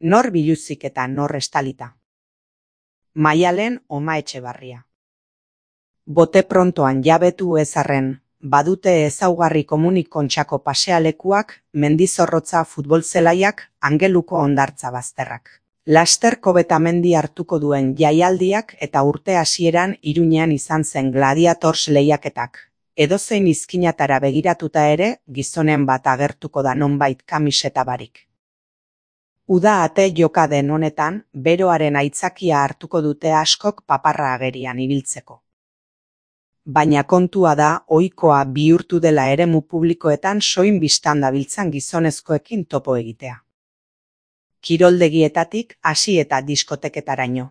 Nor biluzik eta nor estalita. Maialen Oma Etxebarria. Bote prontoan jabetu ezarren, badute ezaugarri komunik Kontxako pasealekuak, mendizorrotza futbolzelaiak, angeluko hondartza bazterrak. Laster Kobetamendi hartuko duen jaialdiak eta urte hasieran Iruñean izan zen Gladiators lehiaketak. Edozein izkinatara begiratuta ere, gizonen bat agertuko da nonbait kamiseta barik. Uda ate joka den honetan, beroaren aitzakia hartuko dute askok paparra agerian ibiltzeko. Baina kontua da, ohikoa bihurtu dela eremu publikoetan soin bistan dabiltzan gizonezkoekin topo egitea. Kiroldegietatik hasi eta diskoteketaraino.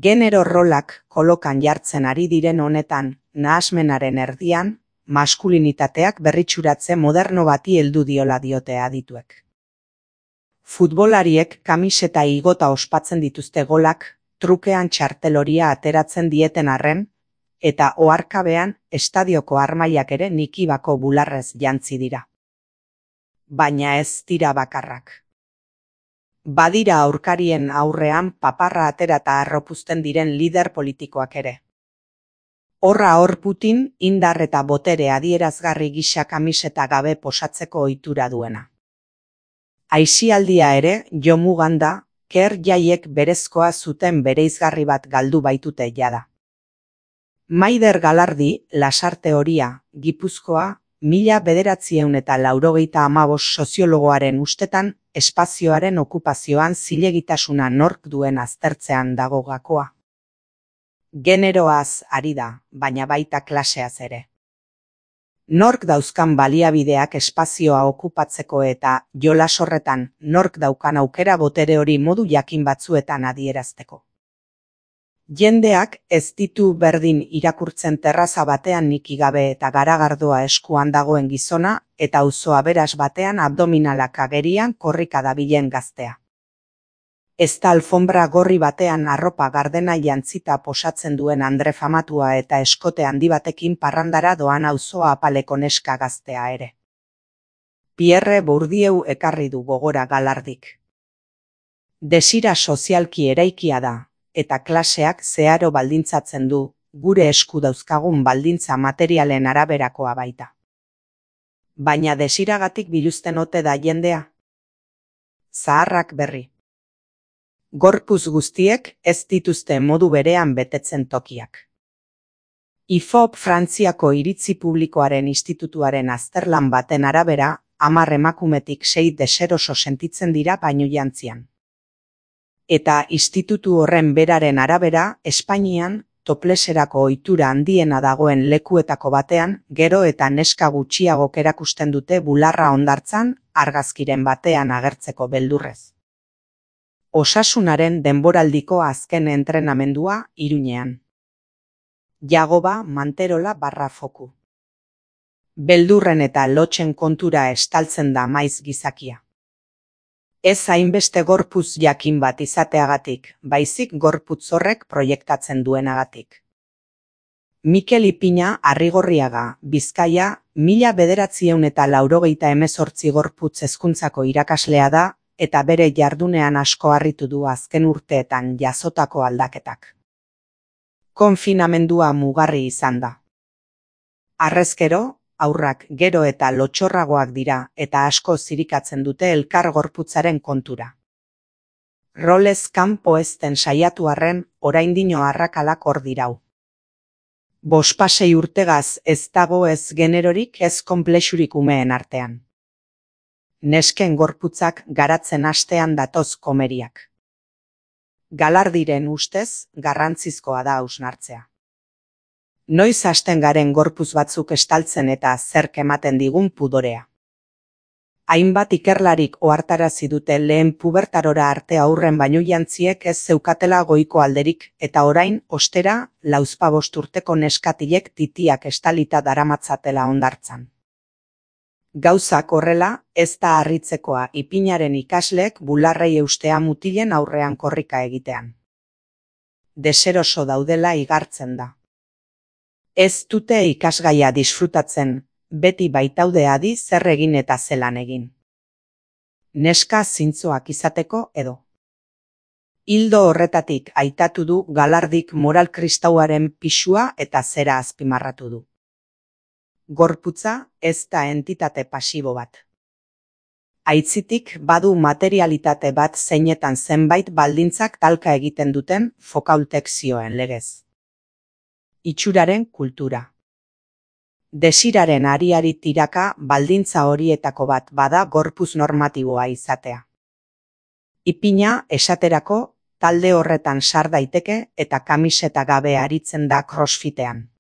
Genero rolak kolokan jartzen ari diren honetan, nahasmenaren erdian, maskulinitateak berritsuratze moderno bati heldu diola diote adituek. Futbolariek kamiseta igota ospatzen dituzte golak, trukean txarteloria ateratzen dieten arren, eta oharkabean estadioko armailak ere nikibako bularrez jantzi dira. Baina ez dira bakarrak. Badira aurkarien aurrean paparra atera eta arropuzten diren lider politikoak ere. Horra hor Putin indar eta botere adierazgarri gisa kamiseta gabe posatzeko ohitura duena. Aisialdia ere jomugan da, ker jaiek berezkoa zuten bereizgarri bat galdu baitute jada. Maider Galardi, Lasarte Horia, Gipuzkoa, 1985 soziologoaren ustetan, espazioaren okupazioan zilegitasuna nork duen aztertzean dago gakoa. Generoaz ari da, baina baita klaseaz ere. Nork dauzkan baliabideak espazioa okupatzeko eta jolas horretan nork daukan aukera botere hori modu jakin batzuetan adierazteko. Jendeak ez ditu berdin irakurtzen terraza batean niki gabe eta garagardoa eskuan dagoen gizona eta auzo aberas batean abdominalak agerian korrika dabilen gaztea. Ez da alfombra gorri batean arropa gardena jantzita posatzen duen andre famatua eta eskote handi batekin parrandara doan auzoa apaleko neska gaztea ere. Pierre Bourdieu ekarri du gogora Galardik. Desira sozialki eraikia da, eta klaseak zeharo baldintzatzen du, gure esku dauzkagun baldintza materialen araberakoa baita. Baina desiragatik biluzten ote da jendea? Zaharrak berri. Gorpuz guztiek ez dituzte modu berean betetzen tokiak. IFOP Frantziako Iritzi Publikoaren Institutuaren azterlan baten arabera, 10 emakumetik 6 deseroso sentitzen dira bainu jantzian. Eta institutu horren beraren arabera, Espainian, topleserako ohitura handiena dagoen lekuetako batean, gero eta neska gutxiagok erakusten dute bularra hondartzan, argazkiren batean agertzeko beldurrez. Osasunaren denboraldiko azken entrenamendua Iruñean. Jagoba Manterola /Foku. Beldurren eta lotxen kontura estaltzen da maiz gizakia. Ez hainbeste gorputz jakin bat izateagatik, baizik gorputz horrek proiektatzen duenagatik. Mikel Ipina Arrigorriaga, Bizkaia, 1988 gorputz hezkuntzako irakaslea da, eta bere jardunean asko harritu du azken urteetan jasotako aldaketak. Konfinamendua mugarri izan da. Harrezkero, haurrak gero eta lotxorragoak dira eta asko zirikatzen dute elkar gorputzaren kontura. Rolez kanpo ezten saiatu arren, oraindino arrakalak hor dirau. 5 urtegaz ez dago ez generorik ez konplexurik umeen artean. Nesken gorputzak garatzen hastean datoz komeriak. Galardiren ustez, garrantzizkoa da hausnartzea. Noiz hasten garen gorputz batzuk estaltzen eta zerk ematen digun pudorea. Hainbat ikerlarik ohartarazi dute lehen pubertarora arte aurren bainu jantziek ez zeukatela goiko alderik eta orain, ostera, 45 urteko neskatilek titiak estalita daramatzatela hondartzan. Gauzak horrela, ez da harritzekoa Ipinaren ikasleek bularrei eustea mutilen aurrean korrika egitean. Deseroso daudela igartzen da. Ez dute ikasgaia disfrutatzen, beti baitaude adi zer egin eta zelan egin. neska zintzoak izateko edo. Ildo horretatik aitatu du Galardik moral kristauaren pisua eta zera azpimarratu du. Gorputza ez da entitate pasibo bat. Aitzitik badu materialitate bat zeinetan zenbait baldintzak talka egiten duten Foucaultek zioen legez. Itxuraren kultura. Desiraren ariari tiraka baldintza horietako bat bada gorpuz normatiboa izatea. Ipina esaterako talde horretan sar daiteke eta kamiseta gabe aritzen da crossfitean.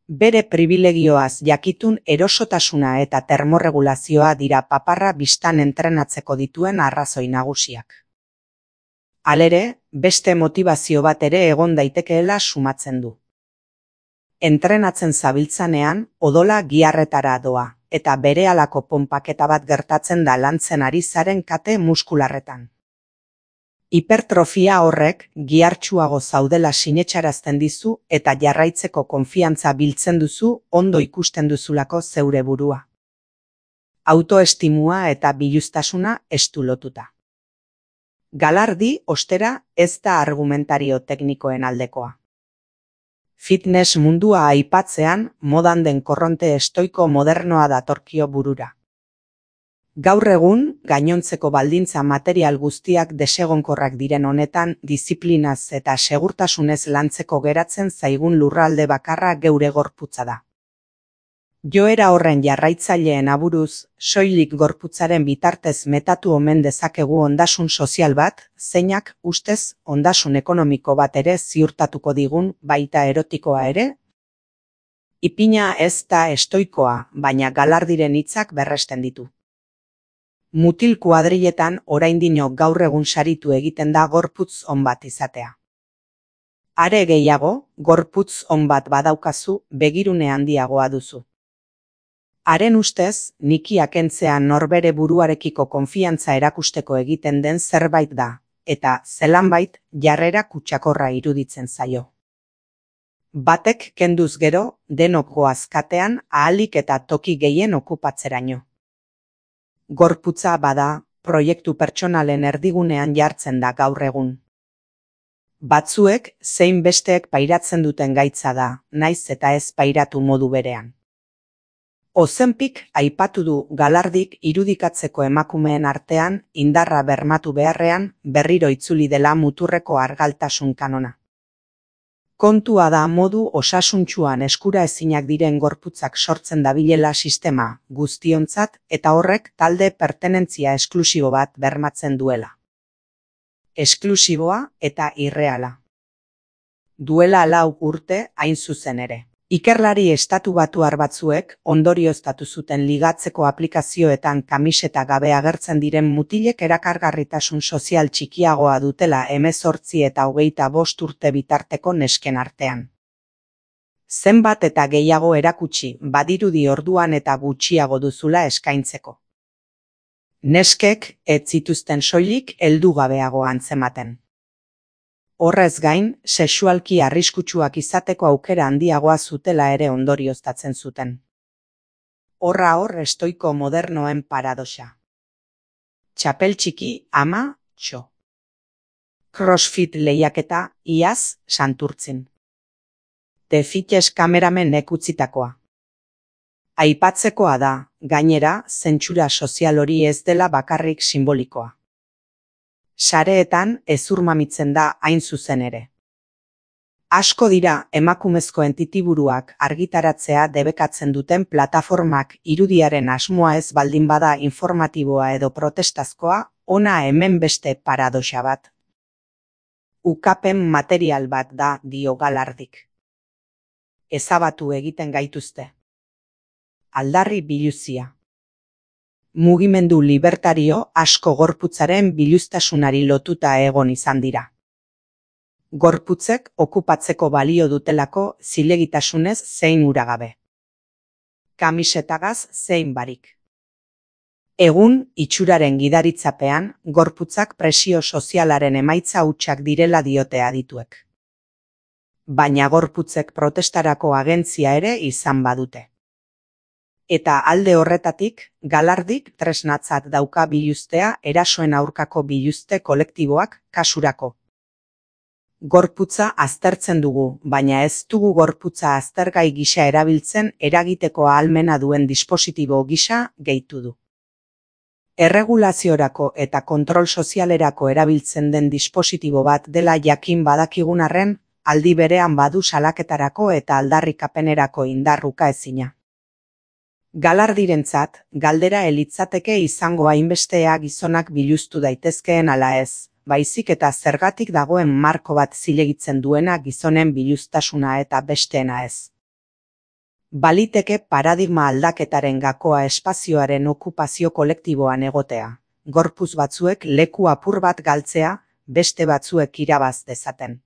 Bere pribilegioaz jakitun erosotasuna eta termorregulazioa dira paparra bistan entrenatzeko dituen arrazoi nagusiak. Halere, beste motivazio bat ere egon daitekeela sumatzen du. Entrenatzen zabiltzanean, odola giharretara doa, eta berehalako ponpaketa bat gertatzen da lantzen ari zaren kate muskularretan. Hipertrofia horrek gihartsuago zaudela sinetsarazten dizu eta jarraitzeko konfiantza biltzen duzu ondo ikusten duzulako zeure burua. Autoestimua eta biluztasuna estu lotuta. Galardi, ostera, ez da argumentario teknikoen aldekoa. Fitness mundua aipatzean, modan den korronte estoiko modernoa datorkio burura. Gaur egun, gainontzeko baldintza material guztiak desegonkorrak diren honetan, disiplinaz eta segurtasunez lantzeko geratzen zaigun lurralde bakarra geure gorputza da. Joera horren jarraitzaileen aburuz, soilik gorputzaren bitartez metatu omen dezakegu ondasun sozial bat, zeinak ustez ondasun ekonomiko bat ere ziurtatuko digun baita erotikoa ere? Ipina ez da estoikoa, baina Galardiren hitzak berresten ditu. Mutil kuadriletan oraindino gaur egun saritu egiten da gorputz on bat izatea. Are gehiago, gorputz on bat badaukazu begirune handiagoa duzu. Haren ustez, nikia kentzea norbere buruarekiko konfiantza erakusteko egiten den zerbait da, eta zelanbait jarrera kutsakorra iruditzen zaio. Batek kenduz gero, denok goaz katean ahalik eta toki gehien okupatzeraino. Gorputza bada, proiektu pertsonalen erdigunean jartzen da gaur egun. Batzuek zein besteek pairatzen duten gaitza da, naiz eta ez pairatu modu berean. Ozenpik aipatu du Galardik irudikatzeko emakumeen artean indarra bermatu beharrean berriro itzuli dela muturreko argaltasun kanona. Kontua da modu osasuntsuan eskura ezinak diren gorputzak sortzen dabilela sistema guztiontzat eta horrek talde pertenentzia esklusibo bat bermatzen duela. Esklusiboa eta irreala. Duela 4 urte hain zuzen ere. Ikerlari estatubatuar batzuek ondorioztatu zuten ligatzeko aplikazioetan kamiseta gabe agertzen diren mutilek erakargarritasun sozial txikiagoa dutela 18 eta 25 urte bitarteko nesken artean. Zenbat eta gehiago erakutsi badirudi orduan eta gutxiago duzula eskaintzeko. Neskek ez zituzten soilik heldugabeago antzematen. Horrez gain, sexualki arriskutsuak izateko aukera handiagoa zutela ere ondorioztatzen zuten. Horra hor estoiko modernoen paradoxa. Txapel txiki, ama, txo. Crossfit lehiaketa, iaz, Santurtzin. The Fitness kameramenek utzitakoa. Aipatzekoa da, gainera, zentsura sozial hori ez dela bakarrik simbolikoa. Sareetan ezurmamitzen da hain zuzen ere. Asko dira emakumezko entitiburuak argitaratzea debekatzen duten plataformak irudiaren asmoa ez baldin bada informatiboa edo protestazkoa, ona hemen beste paradoxa bat. Ukapen material bat da dio Galardik. Ezabatu egiten gaituzte. Aldarri biluzia. Mugimendu libertario asko gorputzaren biluztasunari lotuta egon izan dira. Gorputzek okupatzeko balio dutelako zilegitasunez zein uragabe. Kamisetagaz zein barik. Egun, itxuraren gidaritzapean, gorputzak presio sozialaren emaitza hutsak direla diote adituek. Baina gorputzek protestarako agentzia ere izan badute. Eta alde horretatik, galardik tresnatzat dauka biluztea erasoen aurkako biluzte kolektiboak kasurako. Gorputza aztertzen dugu, baina ez dugu gorputza aztergai gisa erabiltzen eragiteko ahalmena duen dispositibo gisa gehitu du. Erregulaziorako eta kontrol sozialerako erabiltzen den dispositibo bat dela jakin badakigun arren, aldi berean badu salaketarako eta aldarrikapenerako indarruka ezina. Galardirentzat, galdera elitzateke izango hainbestea gizonak biluztu daitezkeen ala ez, baizik eta zergatik dagoen marko bat zilegitzen duena gizonen biluztasuna eta besteena ez. Baliteke paradigma aldaketaren gakoa espazioaren okupazio kolektiboan egotea, gorputz batzuek leku apur bat galtzea, beste batzuek irabaz dezaten.